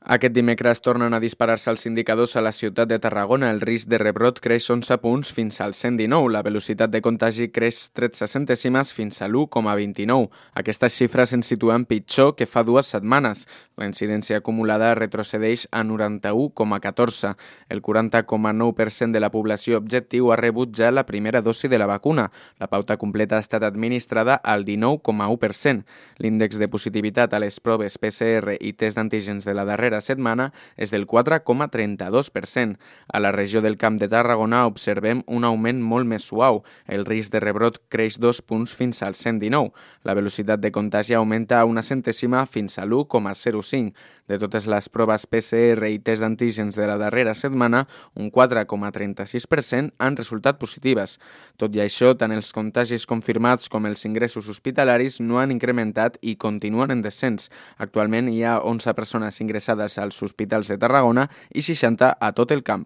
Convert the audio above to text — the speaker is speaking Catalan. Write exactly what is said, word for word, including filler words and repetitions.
Aquest dimecres tornen a disparar-se els indicadors a la ciutat de Tarragona. El risc de rebrot creix onze punts fins al cent dinou. La velocitat de contagi creix tretze centèsimes fins a l'u coma vint-i-nou. Aquestes xifres ens situen pitjor que fa dues setmanes. La incidència acumulada retrocedeix a noranta-u coma catorze. El quaranta coma nou per cent de la població objectiu ha rebut ja la primera dosi de la vacuna. La pauta completa ha estat administrada al dinou coma u per cent. L'índex de positivitat a les proves P C R i test d'antígens de la darrera setmana és del quatre coma trenta-dos per cent. A la regió del Camp de Tarragona observem un augment molt més suau. El risc de rebrot creix dos punts fins al cent dinou. La velocitat de contagi augmenta a una centèsima fins a l'u coma zero cinc. De totes les proves P C R i test d'antígens de la darrera setmana, un quatre coma trenta-sis per cent han resultat positives. Tot i això, tant els contagis confirmats com els ingressos hospitalaris no han incrementat i continuen en descens. Actualment hi ha onze persones ingressades als hospitals de Tarragona i seixanta a tot el camp.